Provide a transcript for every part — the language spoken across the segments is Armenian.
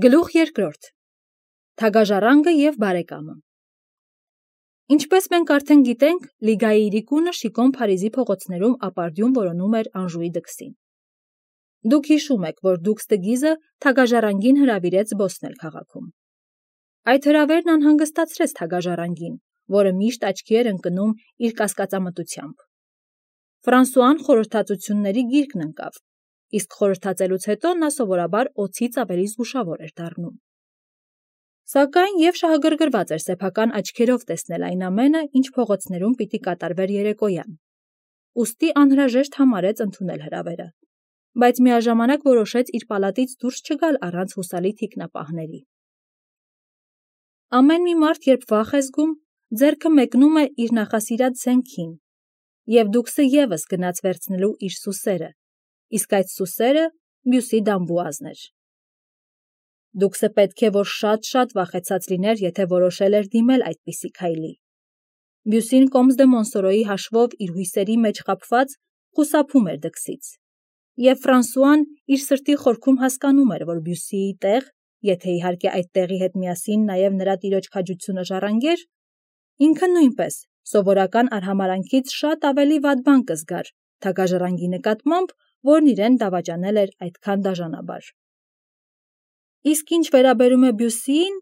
Գլուխ երկրորդ. Թագաժառանգը և բարեկամը։ Ինչպես մենք արդեն գիտենք, Լիգայի իրիկունը շիկոն Փարիզի փողոցներում ապարդյուն որոնում էր Անժուի դքսին։ Դուք հիշում եք, որ դուքս տգիզը թագաժառանգին հրավիրեց զբոսնել քաղաքում։ Այդ հրավերն անհանգստացրեց թագաժառանգին, որը միշտ աչքի էր ընկնում իր կասկածամտությամբ։ Ֆրանսուան խորհրդածությունների գիրկն ընկավ, իսկ խորհրդածելուց հետո նա սովորաբար օձից ավելի զգուշավոր էր դառնում։ Սակայն և շահագրգռված էր սեփական աչքերով տեսնել այն ամենը, ինչ փողոցներում պիտի կատարվեր երեկոյան։ Ուստի անհրաժեշտ համարեց ընդունել հրավերը, բայց միաժամանակ որոշեց իր պալատից դուրս չգալ առանց հուսալի թիկնապահների։ Ամեն մի մարդ, երբ վախ է զգում, ձեռքը մեկնում է իր նախասիրած զենքին, և դուքսը ևս գնաց վերցնելու իր սուսերը, իսկ այդ սուսերը Բյուսի դամբուազն էր։ Դուքսը պետք է, որ շատ վախեցած լիներ, եթե որոշել էր դիմել այդպիսի քայլի։ Բյուսին Կոմս դե Մոնսորոյի հաշվով իր հույսերի մեջ խաբված խուսափում էր դքսից, և Ֆրանսուան իր սրտի խորքում հասկանում էր, որ Բյուսիի տեղ, եթե իհարկե այդ տեղի հետ միասին նաև նրա տիրոջ քաջությունը ժառանգեր, ինքը նույնպես սովորական արհամարհանքից շատ ավելի վատ բան կզգար թագաժառանգի նկատմամբ, որն իրեն դավաճանել էր այդքան դաժանաբար։ Իսկ ինչ վերաբերում է Բյուսիին,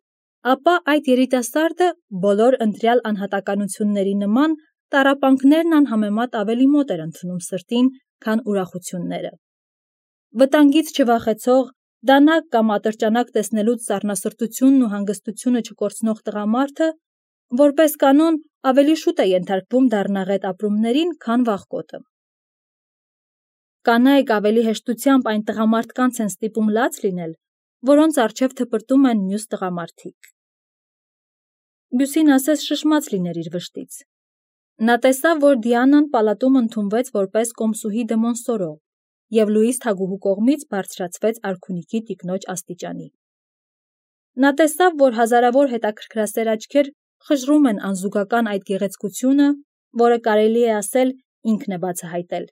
ապա այդ երիտասարդը բոլոր ընտրյալ անհատականությունների նման տառապանքներն անհամեմատ ավելի մոտ էր ընդունում սրտին, քան ուրախությունները։ Վտանգից չվախեցող, դանակ կամ ատրճանակ տեսնելուց սառնասրտությունն ու հանգստությունը չկորցնող տղամարդը, որպես կանոն, ավելի շուտ է ենթարկվում դառնաղետ ապրումներին, քան վախկոտը։ Կանայք ավելի հեշտությամբ այն տղամարդկանց են ստիպում լաց լինել, որոնց առջև թպրտում են մյուս տղամարդիկ։ Բյուսին ասես շշմած լիներ իր վշտից։ Նա տեսավ, որ Դիանան պալատում ընդունվեց որպես կոմսուհի դե Մոնսորո և Լուիս թագուհու կողմից բարձրացվեց արքունիքի տիկնոջ աստիճանի։ Նա տեսավ, որ հազարավոր հետաքրքրասեր աչքեր խժռում են անզուգական այդ գեղեցկությունը, որը կարելի է ասել ինքն է բացահայտել,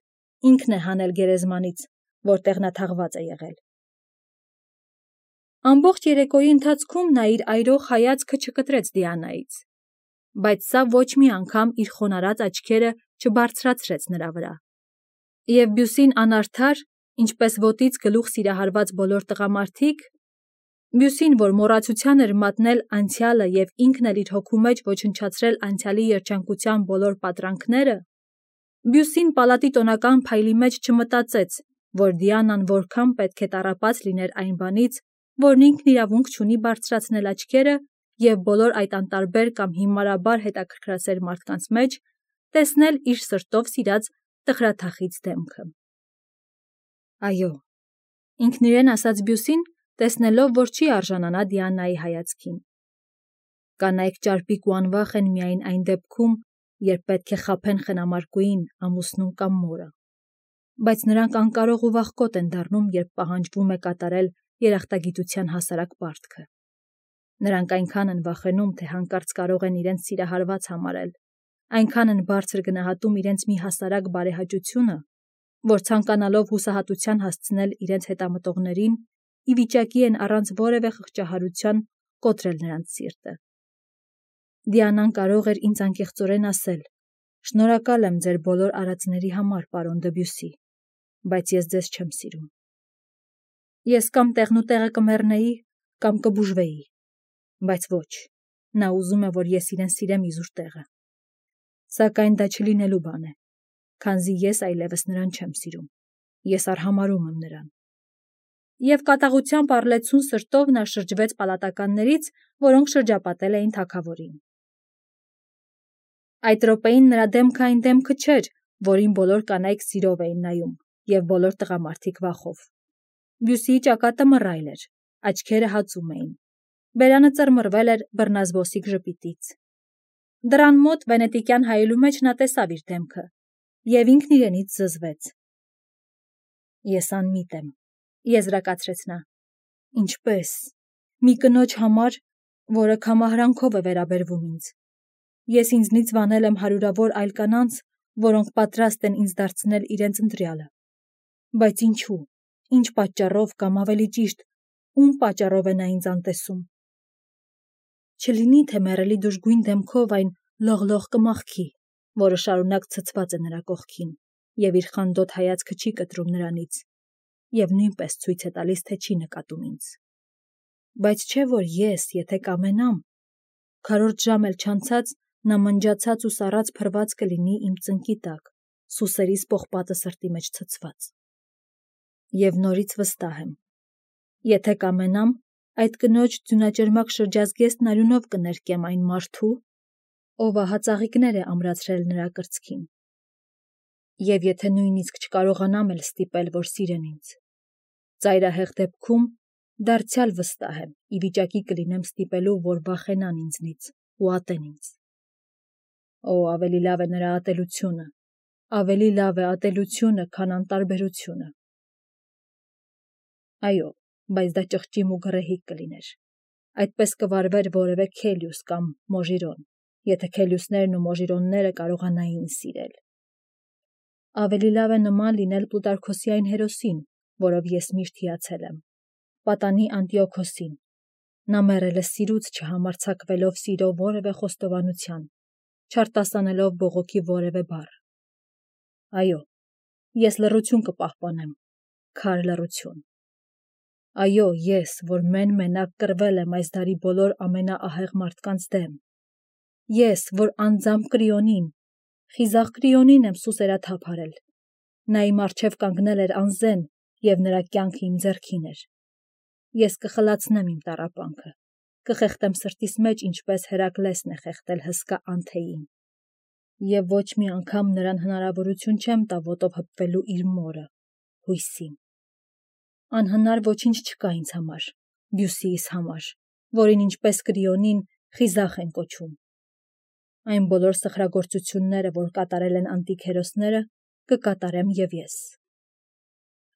ինքն է հանել գերեզմանից, որտեղ նա թաղված է եղել։ Ամբողջ երեկոյի ընթացքում նա իր այրող հայացքը չկտրեց Դիանայից, բայց սա ոչ մի անգամ իր խոնարհած աչքերը չբարձրացրեց նրա վրա։ Եվ Բյուսին անարդար, ինչպես ոտից գլուխ սիրահարված բոլոր տղամարդիկ, Բյուսին, որ մոռացության էր մատնել անցյալը և ինքն էլ իր հոգու մեջ ոչնչացրել անցյալի երջանկության բոլոր պատրանքները, Բյուսին պալատի տոնական փայլի մեջ չմտածեց, որ Դիանան որքան պետք է տառապած լիներ այն բանից, որն ինքն իրավունք չունի բարձրացնել աչքերը և բոլոր այդ անտարբեր կամ հիմարաբար հետաքրքրասեր մարդկանց մեջ տեսնել իր սրտով սիրած տխրաթախիծ դեմքը։ Այո, ինքն իրեն ասաց Բյուսին, տեսնելով, որ չի արժանանա Դիանայի հայացքին։ Կանայք ճարպիկ ու անվախ են միայն այն դեպքում, երբ պետք է խաբեն խնամարկուին, ամուսնուն կամ մորը, բայց նրանք անկարող ու վախկոտ են դառնում, երբ պահանջվում է կատարել երախտագիտության հասարակ պարտքը։ Նրանք այնքան են վախենում, թե հանկարծ կարող են իրենց սիրահարված համարել, այնքան են բարձր գնահատում իրենց մի հասարակ բարեհաճությունը, որ ցանկանալով հուսահատության հասցնել իրենց հետամտողներին, ի վիճակի են առանց որևէ խղճահարության կոտրել նրանց սիրտը։ Դիանան կարող էր ինձ անկեղծորեն ասել. «Շնորհակալ եմ ձեր բոլոր արածների համար, պարոն դը Բյուսի, բայց ես ձեզ չեմ սիրում։ Ես կամ տեղնուտեղը կմեռնեի, կամ կբուժվեի, բայց ոչ, նա ուզում է, որ ես իրեն սիրեմ իզուր տեղը։ Սակայն դա չլինելու բան է, քանզի ես այլևս նրան չեմ սիրում, ես արհամարհում եմ նրան»։ Եվ կատաղությամբ առլեցուն սրտով նա շրջվեց պալատականներից, որոնք շրջապատել էին թագավորին։ Այդ րոպեին նրա դեմքը այն դեմքը չէր, որին բոլոր կանայք սիրով էին նայում, և բոլոր տղամարդիկ վախով։ Բյուսիի ճակատը մռայլ էր, աչքերը հածում էին, բերանը ծռմռվել էր բռնազբոսիկ ժպիտից։ Դռան մոտ վենետիկյան հայելու մեջ նա տեսավ իր դեմքը, և ինքն իրենից զզվեց։ Ես անմիտ եմ, եզրակացրեց նա։ Ինչպե՞ս։ Մի կնոջ համար, որը քամահարանքով է վերաբերվում ինձ։ Ես ինձնից վանել եմ հարյուրավոր այլ կանանց, որոնք պատրաստ են ինձ դարձնել իրենց ընտրյալը։ Բայց ինչու, ինչ պատճառով կամ ավելի ճիշտ, ում պատճառով է նա ինձ անտեսում։ Չլինի, թե մեռելի դժգույն դեմքով այն լողլող կմախքի, որը շարունակ ցցված է նրա կողքին, և իր խանդոտ հայացքը չի կտրում նրանից, և նույնպես ցույց է տալիս, թե չի նկատում ինձ։ Բայց չէ, որ ես, եթե կամենամ, քառորդ ժամ էլ չանցած, նա մնջացած ու սառած փռված կլինի իմ ծնկի տակ, սուսերիս պողպատը սրտի մեջ ցցված։ Եվ նորից վստահ եմ, եթե կամենամ, այդ կնոջ ձյունաճերմակ շրջազգեստ արյունով կներկեմ այն մարդու, ով ահածաղիկներ է ամրացրել նրա կրծքին։ Եվ եթե նույնիսկ չկարողանամ էլ ստիպել, որ սիրեն ինձ, ծայրահեղ դեպքում դարձյալ վստահ եմ, ի վիճակի կլինեմ ստիպելու, որ վախենան ինձնից ու ատեն ինձ։ Օ, ավելի լավ է նրա ատելությունը, ավելի լավ է ատելությունը, քան անտարբերությունը։ Այո, բայց դա ճղճիմ ու գռեհիկ կլիներ։ Այդպես կվարվեր որևէ Քելիուս կամ Մոժիրոն, եթե Քելիուսներն ու Մոժիրոնները կարողանային սիրել։ Ավելի լավ է նման լինել Պլուտարքոսի այն հերոսին, որով ես միշտ հիացել եմ, պատանի Անտիոքոսին։ Նա մեռել է սիրուց, չհամարձակվելով սիրո որևէ խոստովանության, չարտասանելով բողոքի որևէ բառ։ Այո, ես լռություն կպահպանեմ, քար լռություն։ Այո, ես, որ մեն-մենակ կռվել եմ այս դարի բոլոր ամենաահեղ մարդկանց դեմ։ Ես, որ անձամբ Կրիոնին, խիզախ Կրիոնին եմ սուսերաթափ արել։ Նա իմ առջև կանգնել էր անզեն, և նրա կյանքը իմ ձեռքին էր։ Ես կխլացնեմ իմ տառապանքը, կխեղդեմ սրտիս մեջ, ինչպես Հերակլեսն է խեղդել հսկա Անթեին։ Եվ ոչ մի անգամ նրան հնարավորություն չեմ տա ոտով հպվելու իր մորը, հույսին։ Անհնար ոչինչ չկա ինձ համար, Բյուսիիս համար, որին ինչպես Կրիոնին խիզախ են կոչում։ Այն բոլոր սխրագործությունները, որ կատարել են անտիկ հերոսները, կկատարեմ և ես։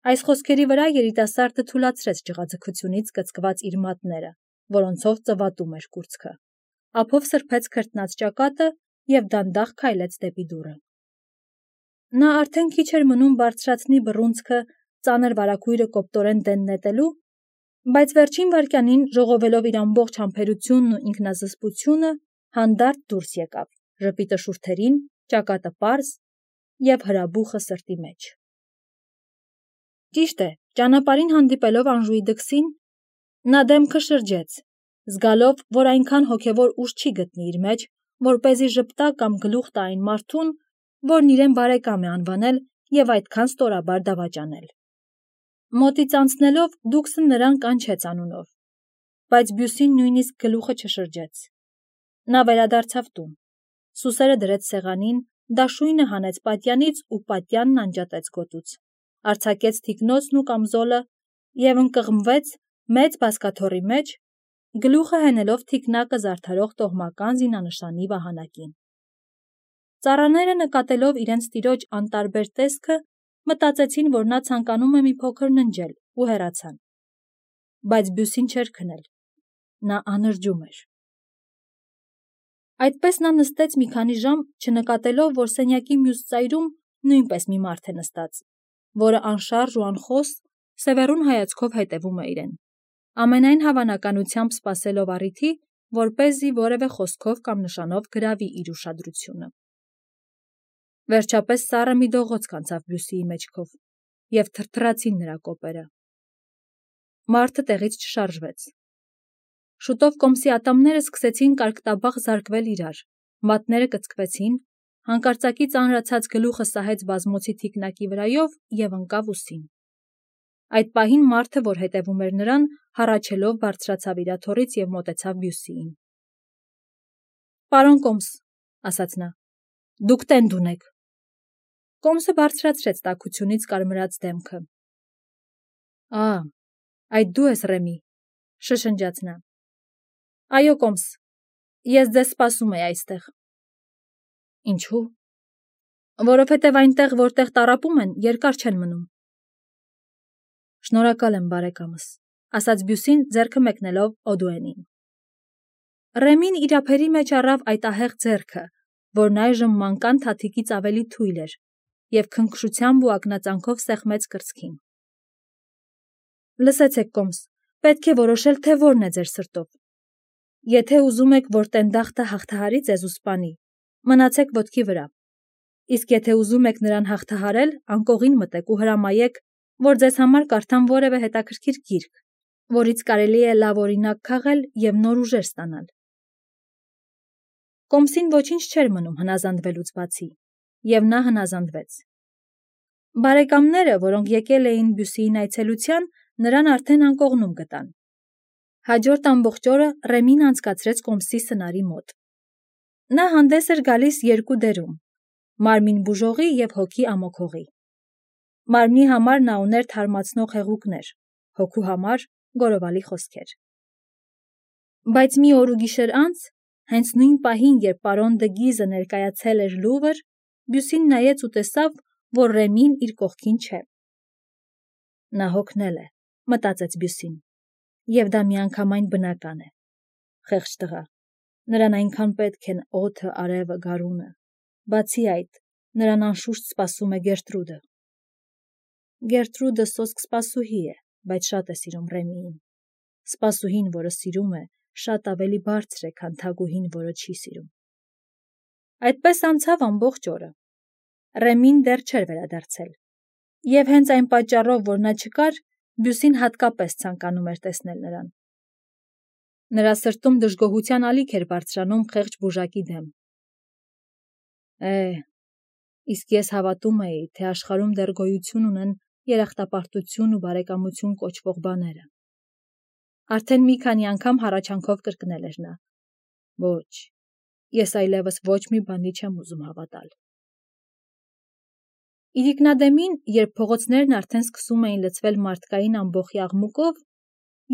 Այս խոսքերի վրա երիտասարդը թուլացրեց ջղաձգությունից կծկված իր մատները, որոնցով ծվատում էր կուրծքը, ափով սրբեց քրտնած ճակատը և դանդաղ քայլեց դեպի դուռը։ Նա արդեն քիչ էր մնում բարձրացնի բռունցքը ծանր վարագույրը կոպտորեն դեն նետելու, բայց վերջին վայրկյանին, ժողովելով իր ամբողջ համբերությունն ու ինքնազսպությունը, հանդարտ դուրս եկավ, ժպիտը շուրթերին, ճակատը պարզ և հրաբուխը սրտի մեջ։ Ճիշտ է, ճանապարհին հանդիպելով Անժուի դքսին, նա դեմքը շրջեց, զգալով, որ այնքան հոգևոր ուժ չի գտնի իր մեջ, որպեսզի ժպտա կամ գլուխ տա այն մարդուն, որն իրեն բարեկամ է անվանել և այդքան ստորաբար դավաճանել։ Մոտից անցնելով դուքսը նրան կանչեց անունով, բայց Բյուսին նույնիսկ գլուխը չշրջեց։ Նա վերադարձավ տուն, սուսերը դրեց սեղանին, դաշույնը հանեց պատյանից ու պատյանն անջատեց գոտուց, արձակեց թիկնոցն ու կամզոլը և ընկղմվեց մեծ բազկաթոռի մեջ, գլուխը հենելով թիկնակը զարդարող տոհմական զինանշանի վահանակին։ Ծառաները նկատելով իրենց տիրոջ անտարբեր տեսքը, մտածեցին, որ նա ցանկանում է մի փոքր ննջել ու հեռացան։ Բայց Բյուսին չէր քնել, նա անրջում էր։ Այդպես նա նստեց մի քանի ժամ, չնկատելով, որ սենյակի մյուս ծայրում նույնպես մի մարդ է նստած, որը անշարժ ու անխոս սևեռուն հայացքով հետևում է իրեն, ամենայն հավանականությամբ սպասելով առիթի, որպեսզի որևէ խոսքով կամ նշանով գրավի իր ուշադրությունը։ Վերջապես սառը մի դողոց անցավ Բյուսիի մեջքով, և թրթռացին նրա կոպերը։ Մարդը տեղից չշարժվեց։ Շուտով կոմսի ատամները սկսեցին կարկտաբաղ զարկվել իրար, մատները կծկվեցին, հանկարծակի ծանրացած գլուխը սահեց բազմոցի թիկնակի վրայով և ընկավ ուսին։ Այդ պահին մարդը, որ հետևում էր նրան, հառաչելով բարձրացավ իր աթոռից և մոտեցավ Բյուսիին։ «Պարոն կոմս», ասաց նա, «դուք տենդ ունեք»։ Կոմսը բարձրացրեց տաքությունից կարմրած դեմքը։ «Ա, այդ դու ես, Ռեմի», շշնջաց նա։ «Այո, կոմս, ես ձեզ սպասում էի այստեղ»։ «Ինչու»։ «Որովհետև այնտեղ, որտեղ տառապում են, երկար չեն մնում»։ «Շնորհակալ եմ, բարեկամս», ասաց Բյուսին, ձեռքը մեկնելով Օդուենին։ Ռեմին իր ափերի մեջ առավ այդ ահեղ ձեռքը, որն այժմ մանկան թաթիկից ավելի թույլ էր, և քնքշությամբ ու ակնածանքով սեղմեց կրծքին։ «Լսեցեք, կոմս, Պետք է որոշել, թե որն է ձեր սրտով։ Եթե ուզում եք, որ տենդախտը հաղթահարի ձեզ ու սպանի, մնացեք ոտքի վրա։ Իսկ եթե ուզում եք նրան հաղթահարել, անկողին մտեք ու հրամայեք, որ ձեզ համար կարդան որևէ հետաքրքիր գիրք, որից կարելի է լավ օրինակ քաղել և նոր ուժեր ստանալ։ Կոմսին ոչինչ չէր մնում հնազանդվելուց բացի, և նա հնազանդվեց։ Բարեկամները, որոնք եկել էին Բյուսիին այցելության, նրան արդեն անկողնում գտան։ Հաջորդ ամբողջ օրը Ռեմին անցկացրեց Կոմսի սնարի մոտ։ Նա հանդես էր գալիս երկու դերում՝ մարմին բուժողի և հոգի ամոքողի։ Մարմնի համար նա ուներ թարմացնող հեղուկներ, հոգու համար գորովալի խոսքեր։ Բայց մի օր ու գիշեր անց, հենց նույն պահին, երբ պարոն Դգիզը ներկայացել էր Լուվր, Բյուսին նայեց ու տեսավ, որ Ռեմին իր կողքին չէ։ Նա հոգնել է, մտածեց Բյուսին, և դա միանգամայն բնական է։ Խեղճ տղա, նրան այնքան պետք են օդը, արևը, գարունը։ Բացի այդ, նրան անշուշտ սպասում է Գերտրուդը։ Գերտրուդը սոսկ սպասուհի է, բայց շատ է սիրում Ռեմիին։ Սպասուհին, որը սիրում է, շատ ավելի բարձր է, քան թագուհին, որը չի սիրում։ Այդպես անցավ ամբողջ օրը։ Ռեմին դեռ չէր վերադարձել։ Եվ հենց այն պատճառով, որ նա չկար, Բյուսին հատկապես ցանկանում էր տեսնել նրան։ Նրա սրտում դժգոհության ալիք էր բարձրանում խեղճ բուժակի դեմ։ Իսկ ես հավատում էի, թե աշխարհում դեռ գոյություն ունեն երախտապարտություն ու բարեկամություն կոչվող բաները։ Արդեն մի քանի անգամ հառաչանքով կրկնել էր նա. Ոչ, ես այլևս ոչ մի բանի չեմ ուզում հավատալ։ Իրիկնադեմին, երբ փողոցներն արդեն սկսում էին լցվել մարդկային ամբոխի աղմուկով,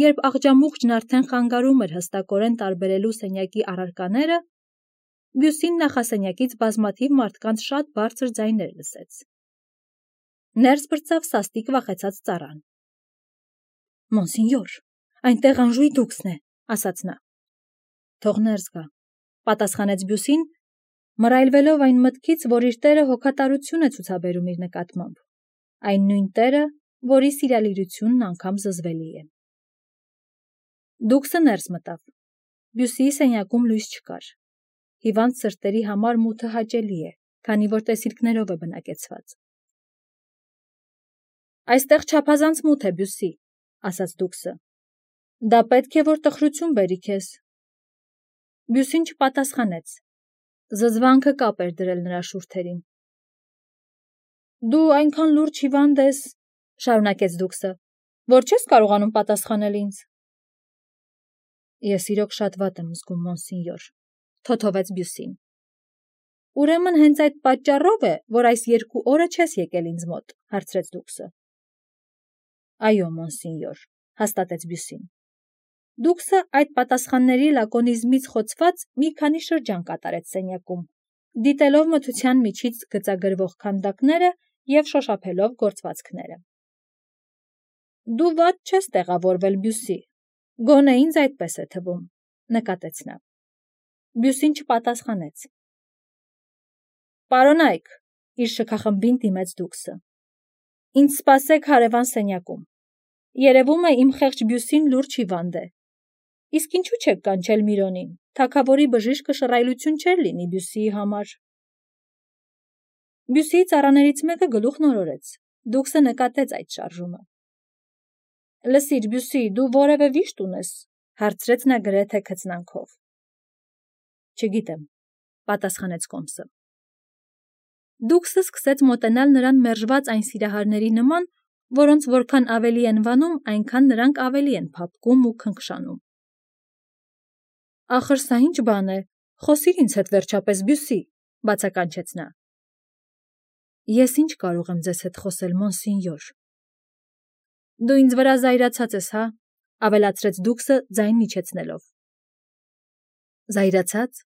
երբ աղջամուղջն արդեն խանգարում էր հստակորեն տարբերելու սենյակի առարկաները, Բյուսին նախասենյակից բազմաթիվ մարդկանց շատ բարձր ձայներ լսեց։ Ներս բրծավ սաստիկ վախեցած ծառան։ Մոնսինյոր, այնտեղ Անժուի դուքսն է, ասաց նա։ Թող ներս գա, պատասխանեց Բյուսին, մռայլվելով այն մտքից, որ իր տերը հոգատարություն է ցուցաբերում իր նկատմամբ, այն նույն տերը, որի սիրալիրությունն անգամ զզվելի է։ Դուքսը ներս մտավ։ Բյուսիի սենյակում լույս չկար։ Հիվանդ սրտերի համար մութը հաճելի է, քանի որ տեսիլքներով է բնակեցված։ Այստեղ չափազանց մութ է, Բյուսի, ասաց դուքսը։ Դա պետք է, որ տխրություն բերի քեզ։ Բյուսին չպատասխանեց։ Զզվանքը կապ էր դրել նրա շուրթերին։ Դու այնքան լուրջ հիվանդ ես, շարունակեց դուքսը, որ չես կարողանում պատասխանել ինձ։ Ես իրոք շատ վատ եմ զգում, մոնսինյոր, թոթովեց Բյուսին։ Ուրեմն հենց այդ պատճառով է, որ այս 2 օրը չես եկել ինձ մոտ, հարցրեց դուքսը։ Այո, մոնսինյոր, հաստատեց Բյուսին։ Դուքսը այդ պատասխանների լակոնիզմից խոցված մի քանի շրջան կատարեց սենյակում, դիտելով մթության միջից գծագրվող քանդակները և շոշափելով գործվածքները։ Դու վատ չես տեղավորվել, Բյուսի, գոնե ինձ այդպես է թվում, նկատեց նա։ Բյուսին չպատասխանեց։ Պարոնայք, իր շքախմբին դիմեց դուքսը։ Ինձ սպասեք հարևան սենյակում։ Երևում է իմ խեղճ Բյուսին լուրջ հիվանդ է։ Իսկ ինչու չեք կանչել Միրոնին, թագավորի բժիշկը շռայլություն չէր լինի Բյուսիի համար։ Բյուսիի ծառաներից մեկը գլուխն օրորեց։ Դուքսը նկատեց այդ շարժումը։ Լսիր, Բյուսի, դու որևէ վիշտ ունես, հարցրեց նա գրեթե քծնանքով։ Չգիտեմ, պատասխանեց Կոմսը։ Դուքսը սկսեց մոտենալ նրան մերժված այն սիրահարների նման, որոնց որքան ավելի են վանում, այնքան նրանք ավելի են փափկում ու քնքշանում։ Ախր սա ինչ բան է, խոսիր ինձ հետ վերջապես, Բյուսի, բացականչեց նա։ Ես ինչ կարող եմ ձեզ հետ խոսել, մոնսինյոր։ Դու ինձ վրա զայրացած ես, հա, ավելացրեց դուքսը ձայն իջեցնելով։ Զայրացած։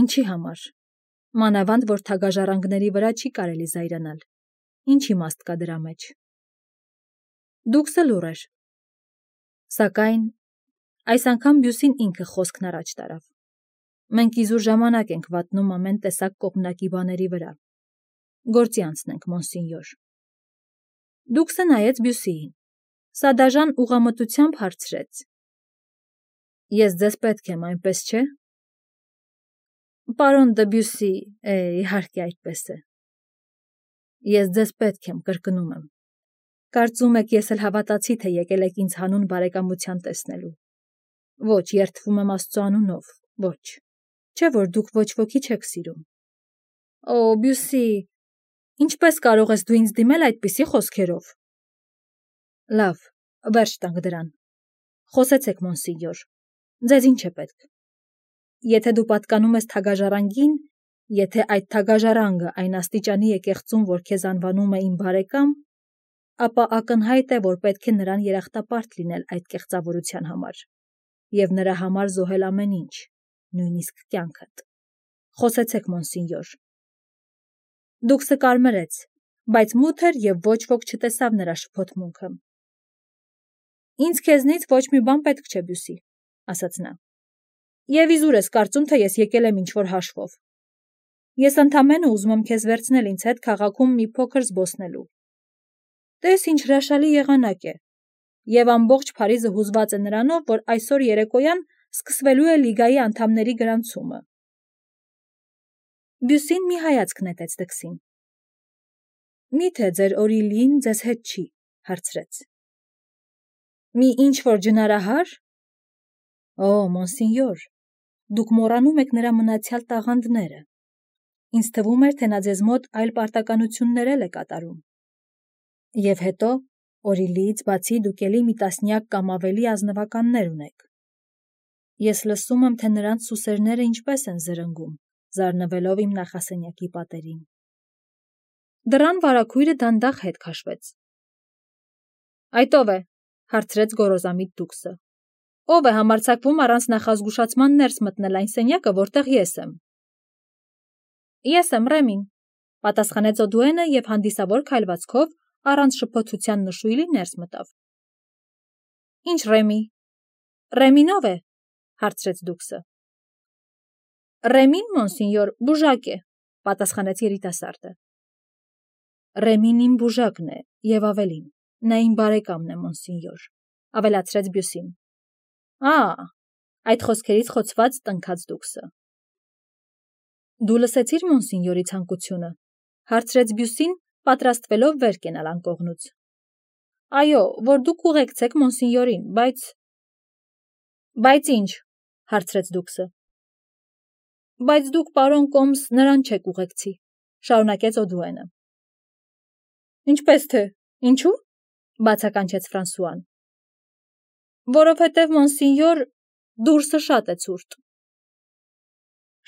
Ինչի համար։ Մանավանդ, որ թագաժառանգների վրա չի կարելի զայրանալ։ Ինչ իմաստ կա դրա մեջ։ Դուքսը լուռ էր։ Սակայն այս անգամ Բյուսին ինքը խոսքն առաջ տարավ։ Մենք իզուր ժամանակ ենք վատնում ամեն տեսակ կողմնակի բաների վրա։ Գործի անցնենք, մոնսինյոր։ Դուքսը նայեց Բյուսիին։ Սադաժան ուղղամտությամբ հարցրեց. Ես ձեզ պետք եմ, այնպես չէ՞։ Պարոն Դեբյուսի, իհարկե այդպես է։ Ես ձեզ պետք եմ, կրկնում եմ։ Կարծում եք, ես էլ հավատացի, թե եկել եք ինձ հանուն բարեկամության տեսնելու։ Ոչ, երդվում եմ Աստծո անունով, ոչ։ Չէ՞ որ դուք ոչ ոքի չեք սիրում։ Օ, Բյուսի, ինչպես կարող ես դու ինձ դիմել այդպիսի խոսքերով։ Լավ, վերջ տանք դրան։ Խոսեցեք, մոնսինյոր, ձեզ ինչ է պետք։ Եթե դու պատկանում ես թագաժառանգին, եթե այդ թագաժառանգը այն աստիճանի է կեղծում, որ քեզ անվանում է իմ բարեկամ, ապա ակնհայտ է, որ պետք է նրան երախտապարտ լինել այդ կեղծավորության համար և նրա համար զոհել ամեն ինչ, նույնիսկ կյանքդ։ Խոսեցեք, մոնսինյոր։ Դուքսը կարմրեց, բայց մութ էր և ոչ ոք չտեսավ նրա շփոթմունքը։ Ինձ քեզնից ոչ մի բան պետք չէ, Բյուսի, ասաց նա։ Եվ իզուր ես կարծում, թե ես եկել եմ ինչ-որ հաշվով։ Ես ընդամենը ուզում եմ քեզ վերցնել ինձ հետ քաղաքում մի փոքր զբոսնելու։ Տես ինչ հրաշալի եղանակ է, և ամբողջ Փարիզը հուզված է նրանով, որ այսօր երեկոյան սկսվելու է լիգայի անդամների գրանցումը։ Բյուսին մի հայացք նետեց դքսին։ Միթե ձեր Օրիլին ձեզ հետ չի, հարցրեց։ Մի ինչ-որ ջնարահար։ Օ, մոնսինյոր, դուք մոռանում եք նրա մնացյալ տաղանդները։ Ինձ թվում էր, թե նա ձեզ մոտ այլ պարտականություններ էլ է կատարում։ Եվ հետո, Օրիլիից բացի դուք էլի մի տասնյակ կամ ավելի ազնվականներ ունեք։ Ես լսում եմ, թե նրանց սուսերները ինչպես են զրնգում, զարնվելով իմ նախասենյակի պատերին։ Դռան վարագույրը դանդաղ հետ քաշվեց։ Այդ ո՞վ է, հարցրեց գոռոզամիտ դուքսը։ Ո՞վ է համարձակվում առանց նախազգուշացման ներս մտնել այն սենյակը, որտեղ ես եմ։ Ես եմ, Ռեմին, պատասխանեց Օդուենը և հանդիսավոր քայլվածքով առանց շփոթության նշույլի ներս մտավ։ Ինչ Ռեմի։ Ռեմին ո՞վ է, հարցրեց դուքսը։ Ռեմին, մոնսինյոր, բուժակ է, պատասխանեց երիտասարդը։ Ռեմին իմ բուժակն է, և ավելին, նա իմ բարեկամն է, մոնսինյոր, ավելացրեց Բյուսին։ Այդ խոսքերից խոցված տնքաց դուքսը։ Դու լսեցիր մոնսինյորի ցանկությունը, հարցրեց Բյուսին, պատրաստվելով վեր կենալ անկողնուց։ Այո, որ դուք ուղեկցեք մոնսինյորին, Բայց ինչ, հարցրեց դուքսը։ Բայց դուք, պարոն Կոմս, նրան չեք ուղեկցի, շարունակեց Օդուենը։ Ինչպես թե, ինչու՞, բացականչեց Ֆրանսուան։ Որովհետև, մոնսինյոր, դուրսը շատ է ցուրտ։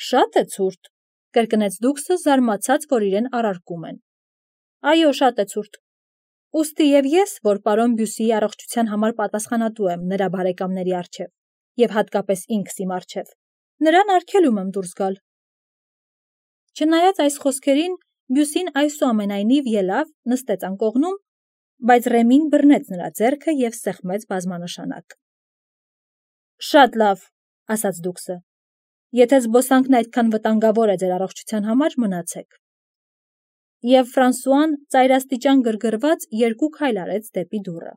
Շատ է ցուրտ, կրկնեց դուքսը, զարմացած, որ իրեն առարկում են։ Այո, շատ է ցուրտ։ Ուստի և ես, որ պարոն Բյուսիի առողջության համար պատասխանատու եմ նրա բարեկամների առջև, և հատկապես ինքս իմ առջև, նրան արգելում եմ դուրս գալ։ Չնայած այս խոսքերին, Բյուսին այսուամենայնիվ ելավ, նստեց անկողնում, բայց Ռեմին բռնեց նրա ձեռքը և սեղմեց բազմանշանակ։ Շատ լավ, ասաց դուքսը։ Եթե զբոսանքն այդքան վտանգավոր է ձեր առողջության համար, մնացեք։ Եվ Ֆրանսուան ծայրաստիճան գրգռված երկու քայլ արեց դեպի դուռը։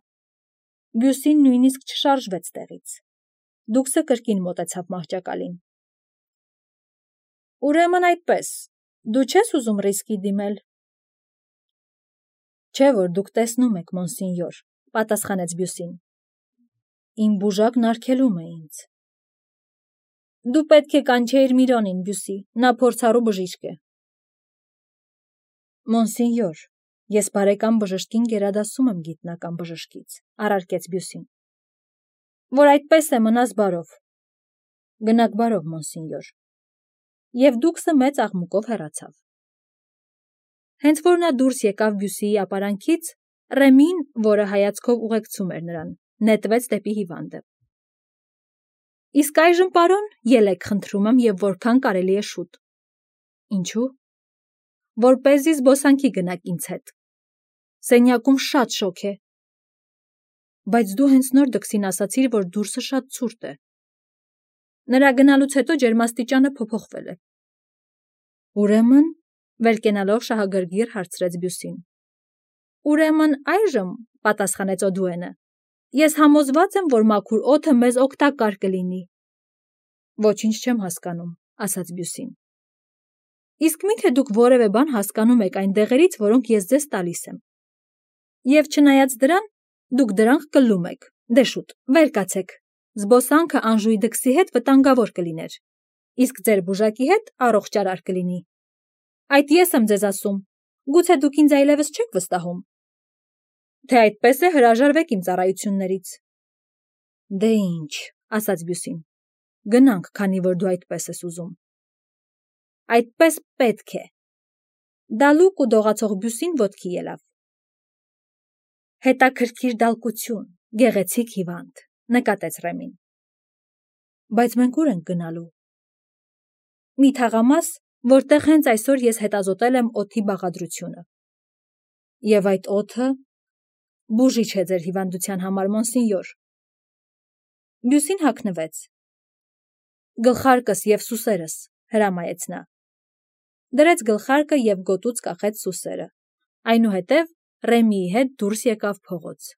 Բյուսին նույնիսկ չշարժվեց տեղից։ Դուքսը կրկին մոտեցավ մահճակալին։ Ուրեմն այդպես, դու չես ուզում ռիսկի դիմել։ Չէ՞ որ դուք տեսնում եք, մոնսինյոր, պատասխանեց Բյուսին։ Իմ բուժակն արգելում է ինձ։ Դու պետք է կանչեիր Միրոնին, Բյուսի, նա փորձառու բժիշկ է։ Մոնսինյոր, ես բարեկամ բժշկին գերադասում եմ գիտնական բժշկից, առարկեց Բյուսին։ Որ այդպես է, մնաս բարով։ Գնաք բարով, մոնսինյոր։ Եվ դուքսը մեծ աղմուկով հեռացավ։ Հենց որ նա դուրս եկավ Բյուսիի ապարանքից, Ռեմին, որը հայացքով ուղեկցում էր նրան, նետվեց դեպի հիվանդը։ Իսկ այժմ, պարոն, ելեք, խնդրում եմ, և որքան կարելի է շուտ։ Ինչու՞։ Որպեսզի զբոսանքի գնաք ինձ հետ։ Սենյակում շատ շոգ է։ Բայց դու հենց նոր դքսին ասացիր, որ դուրսը շատ ցուրտ է։ Նրա գնալուց հետո ջերմաստիճանը փոփոխվել է։ Ուրեմն, վեր կենալով շահագրգիռ հարցրեց Բյուսին։ Ուրեմն այժմ, պատասխանեց Օդուենը, Ես համոզված եմ, որ մաքուր օդը մեզ օգտակար կլինի։ Ոչինչ չեմ հասկանում, ասաց Բյուսին։ Իսկ միթե դուք որևէ բան հասկանում եք այն դեղերից, որոնք ես ձեզ տալիս եմ։ Եվ չնայած դրան, դուք դրանք կլում եք։ Դե շուտ, վեր կացեք։ Զբոսանքը Անժուի դքսի հետ վտանգավոր կլիներ, իսկ ձեր բուժակի հետ առողջարար կլինի։ Այդ ես եմ ձեզ ասում, գուցե դուք ինձ այլևս չեք վստահում։ Թե այդպես է, հրաժարվեք իմ ծառայություններից։ Դե ինչ, ասաց Բյուսին, գնանք, քանի որ դու այդպես ես ուզում։ Այդպես պետք է։ Դալուկ ու դողացող Բյուսին ոտքի ելավ։ Հետաքրքիր դալկություն, գեղեցիկ հիվանդ, նկատեց Ռեմին։ Բայց մենք ուր ենք գնալու։ Մի թաղամաս, որտեղ հենց այսօր ես հետազոտել եմ օդի բաղադրությունը։ Եվ այդ օդը բուժիչ է ձեր հիվանդության համար, մոնսինյոր։ Բյուսին հագնվեց։ Գլխարկս և սուսերս, հրամայեց նա։ Դրեց գլխարկը և գոտուց կախեց սուսերը։ Այնուհետև Ռեմիի հետ դուրս եկավ փողոց։